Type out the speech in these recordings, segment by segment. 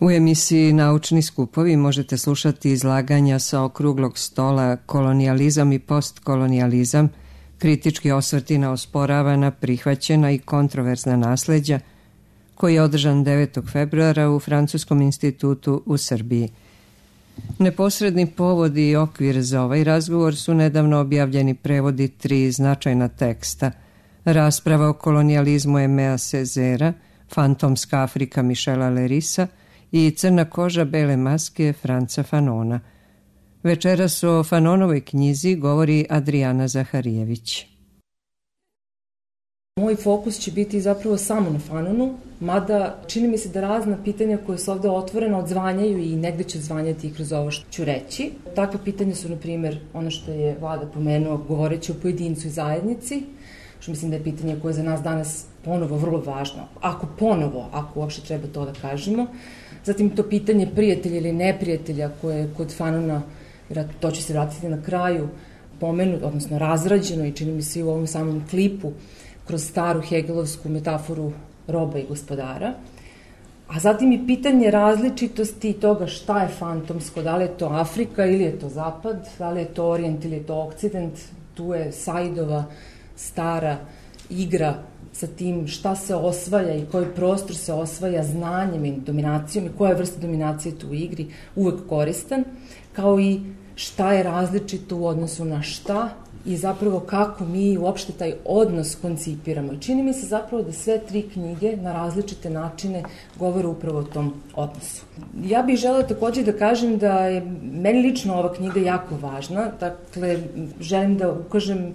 U emisiji Naučni skupovi možete slušati izlaganja sa okruglog stola Kolonijalizam i postkolonijalizam, kritički osvrti na osporavana, prihvaćena i kontroverzna nasleđa, koji je održan 9. februara u Francuskom institutu u Srbiji. Neposredni povod i okvir za ovaj razgovor su nedavno objavljeni prevodi 3 značajna teksta: Rasprava o kolonijalizmu Aimea Césaire, Fantomska Afrika Michela Lerisa i Crna koža bele maske Franca Fanona. Večeras o Fanonovoj knjizi govori Adriana Zaharijević. Moj fokus će biti zapravo samo na Fanonu, mada čini mi se da razna pitanja koje su ovde otvorena odzvanjaju i negde će odzvanjati i kroz ovo što ću reći. Takva pitanja su, na primjer, ono što je Vlada pomenuo govoreći o pojedincu i zajednici, što mislim da je pitanje koje je za nas danas ponovo vrlo važno, ako uopšte treba to da kažemo. Zatim to pitanje prijatelja ili neprijatelja koje je kod Fanona, to će se vratiti na kraju, pomenuto, odnosno razrađeno i čini mi se i u ovom samom klipu, kroz staru hegelovsku metaforu roba i gospodara. A zatim i pitanje različitosti toga šta je fantomsko, da li je to Afrika ili je to Zapad, da li je to Orijent ili je to Okcident. Tu je Saidova stara igra sa tim šta se osvaja i koji prostor se osvaja znanjem i dominacijom i koja vrsta dominacije tu u igri uvek koristan, kao i šta je različito u odnosu na šta i zapravo kako mi uopšte taj odnos koncipiramo. Čini mi se zapravo da sve 3 knjige na različite načine govore upravo o tom odnosu. Ja bih želela takođe da kažem da je meni lično ova knjiga jako važna. Dakle, želim da ukažem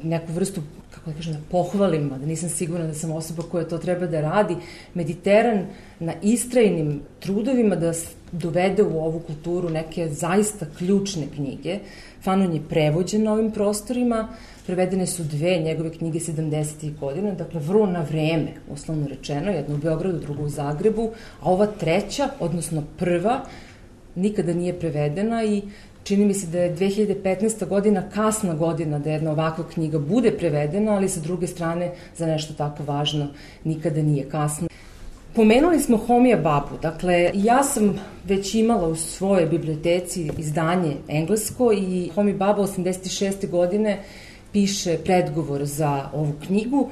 neku vrstu, kako da kažem, da pohvalim, da nisam sigurna da sam osoba koja to treba da radi, Mediteran na istrajnim trudovima da dovede u ovu kulturu neke zaista ključne knjige. Fanon je prevođen na ovim prostorima, prevedene su 2 njegove knjige 70. godina, dakle vrlo na vreme, uslovno rečeno, jedna u Beogradu, druga u Zagrebu, a ova 3., odnosno 1., nikada nije prevedena i čini mi se da je 2015. godina kasna godina da jedna ovakva knjiga bude prevedena, ali sa druge strane za nešto tako važno nikada nije kasno. Pomenuli smo Homija Babu, dakle ja sam već imala u svojoj biblioteci izdanje englesko i Homi Baba 86. godine piše predgovor za ovu knjigu.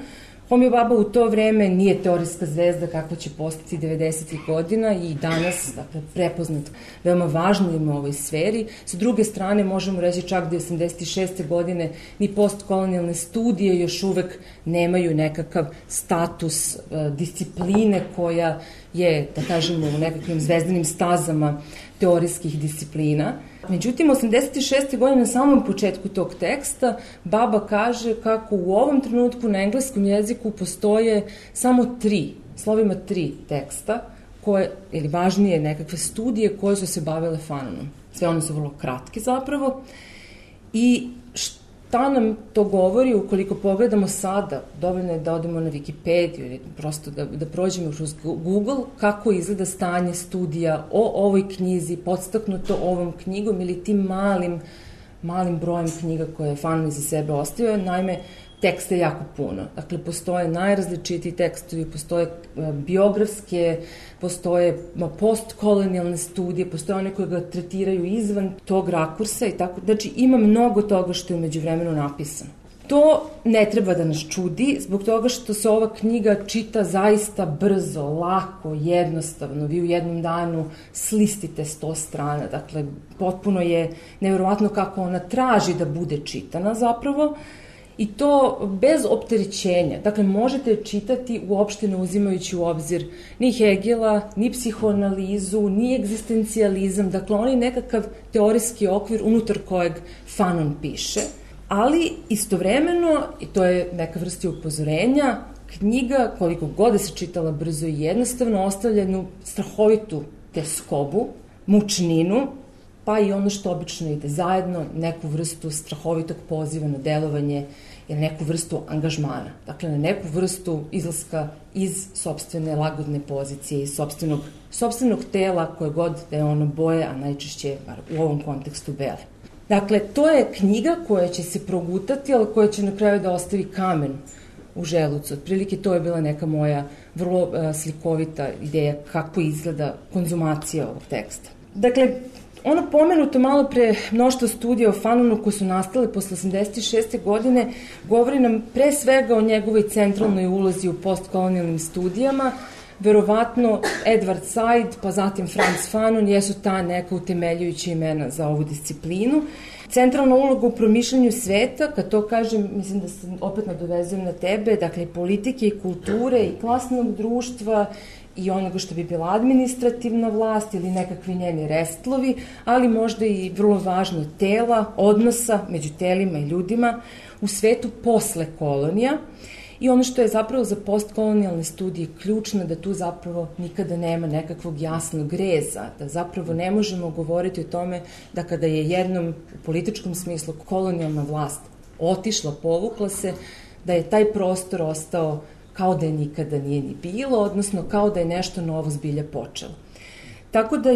Homi Baba u to vreme nije teorijska zvezda kakva će postati 90. godina i danas, dakle, prepoznat veoma važnim u ovoj sferi. Sa druge strane, možemo reći čak da 86. godine ni postkolonijalne studije još uvek nemaju nekakav status discipline koja je, da kažemo, u nekakvim zvezdanim stazama teorijskih disciplina. Međutim, 86. godine na samom početku tog teksta Baba kaže kako u ovom trenutku na engleskom jeziku postoje samo 3, slovima 3 teksta, koje, ili važnije nekakve studije koje su se bavile Fanonom. Sve one su vrlo kratke zapravo. I šta nam to govori ukoliko pogledamo sada, dovoljno je da odemo na Wikipediju ili prosto da prođemo kroz Google, kako izgleda stanje studija o ovoj knjizi, podstaknuto ovom knjigom ili tim malim brojem knjiga koje je Fanon iza sebe ostavio. Naime, teksta je jako puno. Dakle, postoje najrazličitiji tekstovi, postoje biografske, postoje postkolonijalne studije, postoje one koje ga tretiraju izvan tog rakursa i tako. Znači, ima mnogo toga što je umeđu vremenu napisano. To ne treba da nas čudi, zbog toga što se ova knjiga čita zaista brzo, lako, jednostavno. Vi u jednom danu slistite 100 strana. Dakle, potpuno je nevjerovatno kako ona traži da bude čitana zapravo. I to bez opterećenja. Dakle, možete čitati uopšte ne uzimajući u obzir ni Hegela, ni psihoanalizu, ni egzistencijalizam. Dakle, on je nekakav teorijski okvir unutar kojeg Fanon piše. Ali istovremeno, i to je neka vrsta upozorenja, knjiga, koliko god da se čitala brzo i jednostavno, ostavlja jednu strahovitu teskobu, mučninu, pa i ono što obično ide zajedno, neku vrstu strahovitog poziva na delovanje ili neku vrstu angažmana. Dakle, na neku vrstu izlaska iz sopstvene lagodne pozicije, iz sopstvenog tela koje god da je ono boje, a najčešće u ovom kontekstu bele. Dakle, to je knjiga koja će se progutati, ali koja će na kraju da ostavi kamen u želucu. Otprilike to je bila neka moja vrlo slikovita ideja kako izgleda konzumacija ovog teksta. Dakle, ono pomenuto malo pre mnoštvo studija o Fanonu koje su nastale posle 86. godine govori nam pre svega o njegovoj centralnoj ulozi u postkolonijalnim studijama. Verovatno Edward Said, pa zatim Frantz Fanon jesu ta neka utemeljujuća imena za ovu disciplinu. Centralna uloga u promišljanju sveta, kad to kažem, mislim da se opet nadovezujem na tebe, dakle politike i kulture i klasnog društva i onoga što bi bila administrativna vlast ili nekakvi njeni restlovi, ali možda i vrlo važno tela, odnosa među telima i ljudima u svetu posle kolonija. I ono što je zapravo za postkolonijalne studije ključno, da tu zapravo nikada nema nekakvog jasnog reza, da zapravo ne možemo govoriti o tome da kada je jednom u političkom smislu kolonijalna vlast otišla, povukla se, da je taj prostor ostao kao da je nikada nije ni bilo, odnosno kao da je nešto novo zbilja počelo. Tako da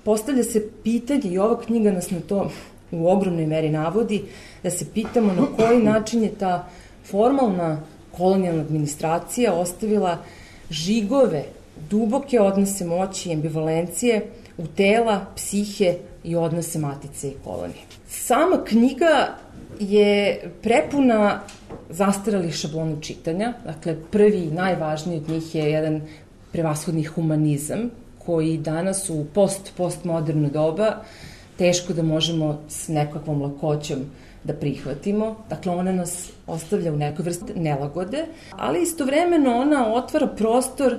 postavlja se pitanje, i ova knjiga nas na to u ogromnoj meri navodi, da se pitamo na koji način je ta formalna kolonijalna administracija ostavila žigove, duboke odnose moći i ambivalencije u tela, psihe i odnose matice i kolonije. Sama knjiga je prepuna zastarelih šablona čitanja, dakle prvi i najvažniji od njih je jedan prevashodni humanizam, koji danas u postmoderno doba teško da možemo s nekakvom lakoćom da prihvatimo. Dakle, ona nas ostavlja u nekoj vrsti nelagode, ali istovremeno ona otvara prostor,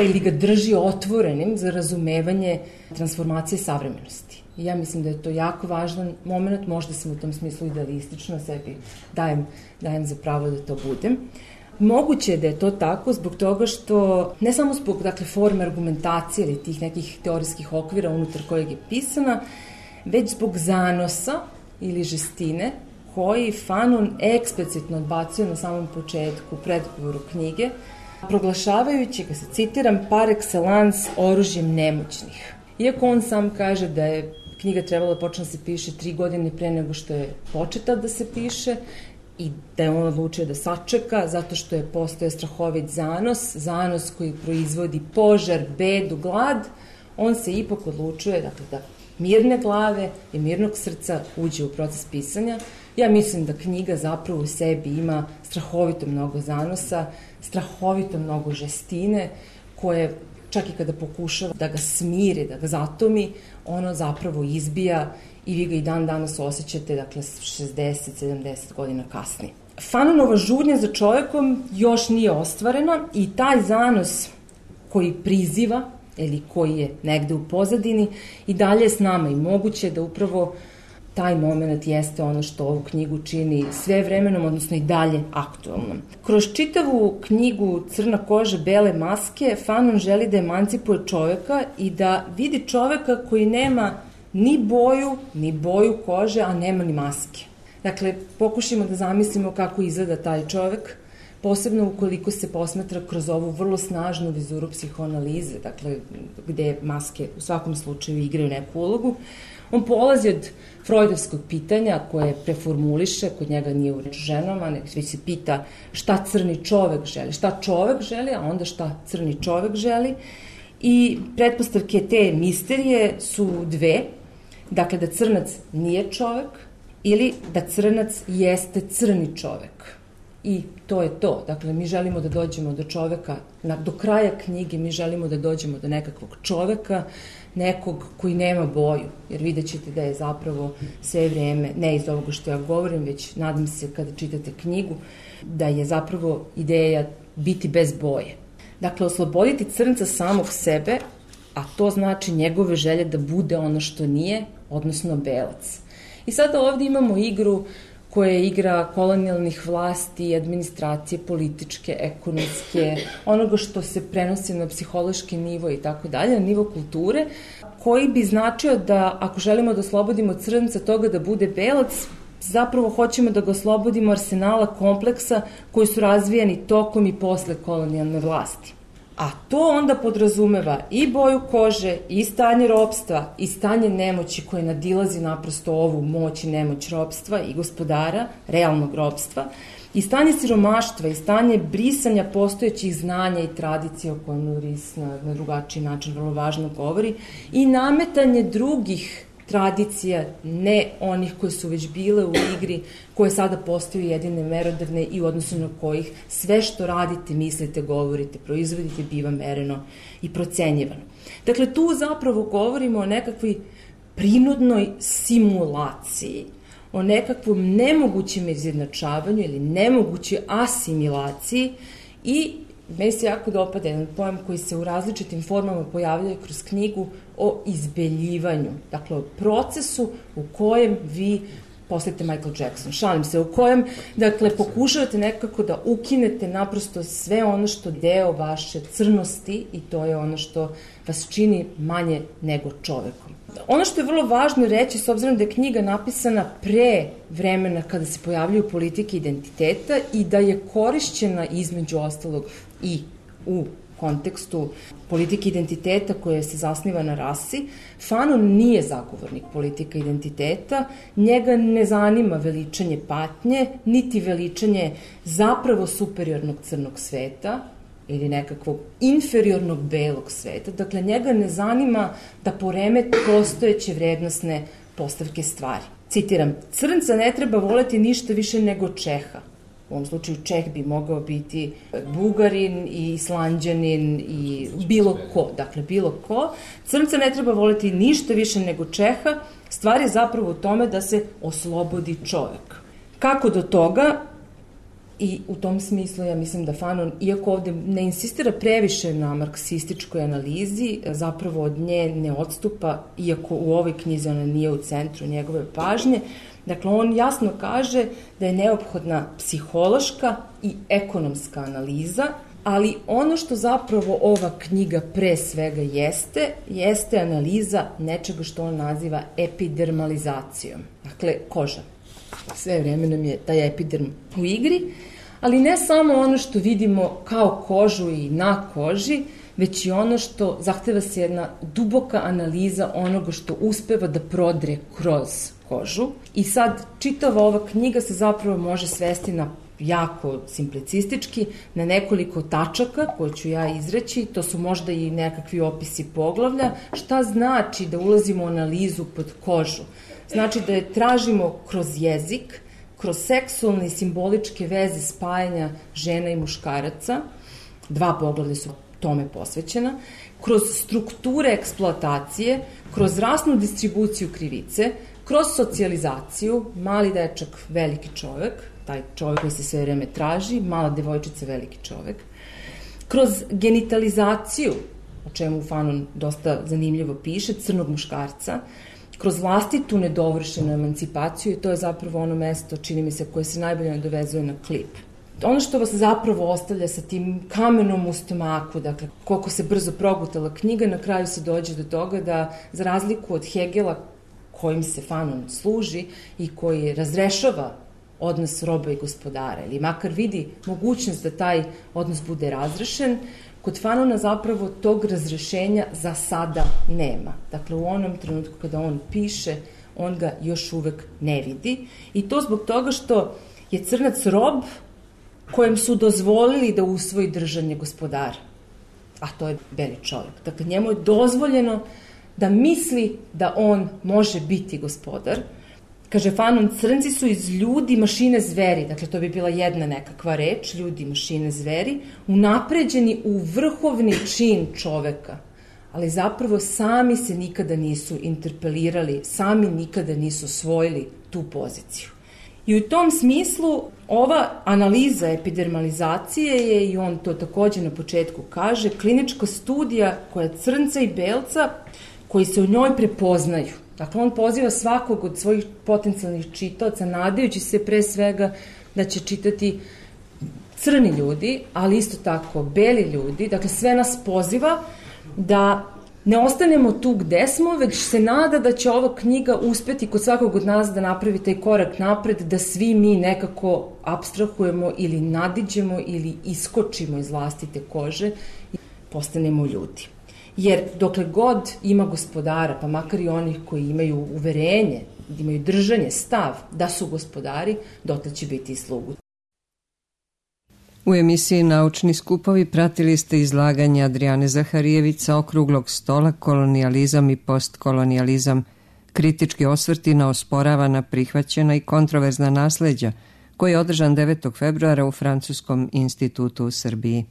ili ga drži otvorenim za razumevanje transformacije savremenosti. I ja mislim da je to jako važan moment, možda sam u tom smislu idealistična, sebi dajem za pravo da to budem. Moguće je da je to tako zbog toga što, ne samo zbog forme argumentacije ili tih nekih teorijskih okvira unutar kojeg je pisana, već zbog zanosa ili žestine koji Fanon eksplicitno odbacuje na samom početku predgovoru knjige, proglašavajući ga, se citiram, par excellence oružjem nemoćnih. Iako on sam kaže da je knjiga trebala da počne da se piše 3 godine pre nego što je početa da se piše i da je on odlučio da sačeka zato što je postojao strahovit zanos koji proizvodi požar, bedu, glad, on se ipak odlučuje da mirne glave i mirnog srca uđe u proces pisanja. Ja mislim da knjiga zapravo u sebi ima strahovito mnogo zanosa, strahovito mnogo žestine, koje čak i kada pokušava da ga smiri, da ga zatomi, ono zapravo izbija i vi ga i dan danas osjećate, 60-70 godina kasnije. Fanonova žudnja za čovekom još nije ostvarena i taj zanos koji priziva ili koji je negde u pozadini i dalje je s nama i moguće da upravo taj moment jeste ono što ovu knjigu čini sve vremenom, odnosno i dalje aktualnom. Kroz čitavu knjigu Crna koža, bele maske, Fanon želi da emancipuje čoveka i da vidi čoveka koji nema ni boju kože, a nema ni maske. Dakle, pokušajmo da zamislimo kako izgleda taj čovek, posebno ukoliko se posmatra kroz ovu vrlo snažnu vizuru psihoanalize, gde maske u svakom slučaju igraju neku ulogu. On polazi od freudovskog pitanja koje preformuliše, kod njega nije u reč ženama, nego već se pita šta crni čovek želi, a onda šta crni čovek želi. I pretpostavke te misterije su dve, dakle da crnac nije čovek ili da crnac jeste crni čovek. I to je to. Dakle, mi želimo da dođemo do čoveka, do kraja knjige mi želimo da dođemo do nekakvog čoveka, nekog koji nema boju, jer vidjet ćete da je zapravo sve vreme, ne iz ovoga što ja govorim, već nadam se kada čitate knjigu, da je zapravo ideja biti bez boje. Dakle, osloboditi crnca samog sebe, a to znači njegove želje da bude ono što nije, odnosno belac. I sada ovdje imamo igru koja je igra kolonijalnih vlasti, administracije, političke, ekonomske, onoga što se prenosi na psihološki nivo i tako dalje, na nivo kulture, koji bi značio da ako želimo da oslobodimo crnca toga da bude belac, zapravo hoćemo da ga oslobodimo arsenala kompleksa koji su razvijani tokom i posle kolonijalne vlasti. A to onda podrazumeva i boju kože, i stanje ropstva, i stanje nemoći koje nadilazi naprosto ovu moć i nemoć ropstva i gospodara, realnog ropstva. I stanje siromaštva i stanje brisanja postojećih znanja i tradicija o kojem Ris na drugačiji način vrlo važno govori i nametanje drugih tradicija, ne onih koje su već bile u igri, koje sada postaju jedine merodavne i u odnosu na kojih sve što radite, mislite, govorite, proizvodite biva mereno i procenjivano. Dakle, tu zapravo govorimo o nekakvoj prinudnoj simulaciji, o nekakvom nemogućem izjednačavanju ili nemogućoj asimilaciji i meni se jako dopada jedan pojam koji se u različitim formama pojavljaju kroz knjigu o izbeljivanju, dakle o procesu u kojem vi postajete Michael Jackson, šalim se, u kojem, dakle, pokušavate nekako da ukinete naprosto sve ono što deo vaše crnosti i to je ono što vas čini manje nego čovekom. Ono što je vrlo važno reći, s obzirom da je knjiga napisana pre vremena kada se pojavljaju politike identiteta i da je korišćena između ostalog i u kontekstu politike identiteta koja se zasniva na rasi, Fanon nije zagovornik politika identiteta, njega ne zanima veličanje patnje, niti veličanje zapravo superiornog crnog sveta ili nekakvog inferiornog belog sveta. Dakle, njega ne zanima da poremeti postojeće vrednostne postavke stvari. Citiram, crnca ne treba voleti ništa više nego Čeha. U ovom slučaju Čeh bi mogao biti Bugarin i Islanđanin i bilo ko. Dakle, bilo ko. Crnca ne treba voleti ništa više nego Čeha. Stvar je zapravo u tome da se oslobodi čovek. Kako do toga? I u tom smislu ja mislim da Fanon, iako ovde ne insistira previše na marksističkoj analizi, zapravo od nje ne odstupa, iako u ovoj knjizi ona nije u centru njegove pažnje. Dakle, on jasno kaže da je neophodna psihološka i ekonomska analiza, ali ono što zapravo ova knjiga pre svega jeste analiza nečega što on naziva epidermalizacijom. Dakle, koža. Sve vreme nam je taj epiderm u igri, ali ne samo ono što vidimo kao kožu i na koži, već i ono što zahteva se jedna duboka analiza onoga što uspeva da prodre kroz kožu. I sad čitava ova knjiga se zapravo može svesti na jako simplicistički, na nekoliko tačaka koje ću ja izreći, to su možda i nekakvi opisi poglavlja. Šta znači da ulazimo u analizu pod kožu? Znači da je tražimo kroz jezik, kroz seksualne i simboličke veze spajanja žena i muškaraca, 2 poglavlja su tome posvećena, kroz strukture eksploatacije, kroz rasnu distribuciju krivice, kroz socijalizaciju, mali dečak, veliki čovek, taj čovek koji se sve vreme traži, mala devojčica, veliki čovek, kroz genitalizaciju, o čemu Fanon dosta zanimljivo piše, crnog muškarca, kroz vlastitu nedovršenu emancipaciju i to je zapravo ono mesto, čini mi se, koje se najbolje nadovezuje na klip. Ono što vas zapravo ostavlja sa tim kamenom u stomaku, dakle, koliko se brzo progutala knjiga, na kraju se dođe do toga da, za razliku od Hegela, kojim se Fanon služi i koji razrešava odnos roba i gospodara, ili makar vidi mogućnost da taj odnos bude razrešen, kod Fanona zapravo tog razrešenja za sada nema. Dakle, u onom trenutku kada on piše, on ga još uvek ne vidi. I to zbog toga što je crnac rob kojem su dozvolili da usvoji držanje gospodara. A to je beli čovjek. Dakle, njemu je dozvoljeno da misli da on može biti gospodar. Kaže Fanon, crnci su iz ljudi, mašine, zveri, dakle to bi bila jedna nekakva reč, ljudi, mašine, zveri, unapređeni u vrhovni čin čoveka, ali zapravo sami se nikada nisu interpelirali, sami nikada nisu osvojili tu poziciju. I u tom smislu ova analiza epidermalizacije je, i on to takođe na početku kaže, klinička studija koja crnca i belca koji se u njoj prepoznaju. Dakle, on poziva svakog od svojih potencijalnih čitaoca, nadajući se pre svega da će čitati crni ljudi, ali isto tako beli ljudi. Dakle, sve nas poziva da ne ostanemo tu gde smo, već se nada da će ova knjiga uspeti kod svakog od nas da napravi taj korak napred, da svi mi nekako apstrahujemo ili nadiđemo ili iskočimo iz vlastite kože i postanemo ljudi. Jer dokle god ima gospodara, pa makar i onih koji imaju uverenje, imaju držanje, stav da su gospodari, dotle će biti i slugu. U emisiji Naučni skupovi pratili ste izlaganje Adrijane Zaharijević sa okruglog stola Kolonijalizam i postkolonijalizam, kritički osvrti na osporavana, prihvaćena i kontroverzna nasleđa, koji je održan 9. februara u Francuskom institutu u Srbiji.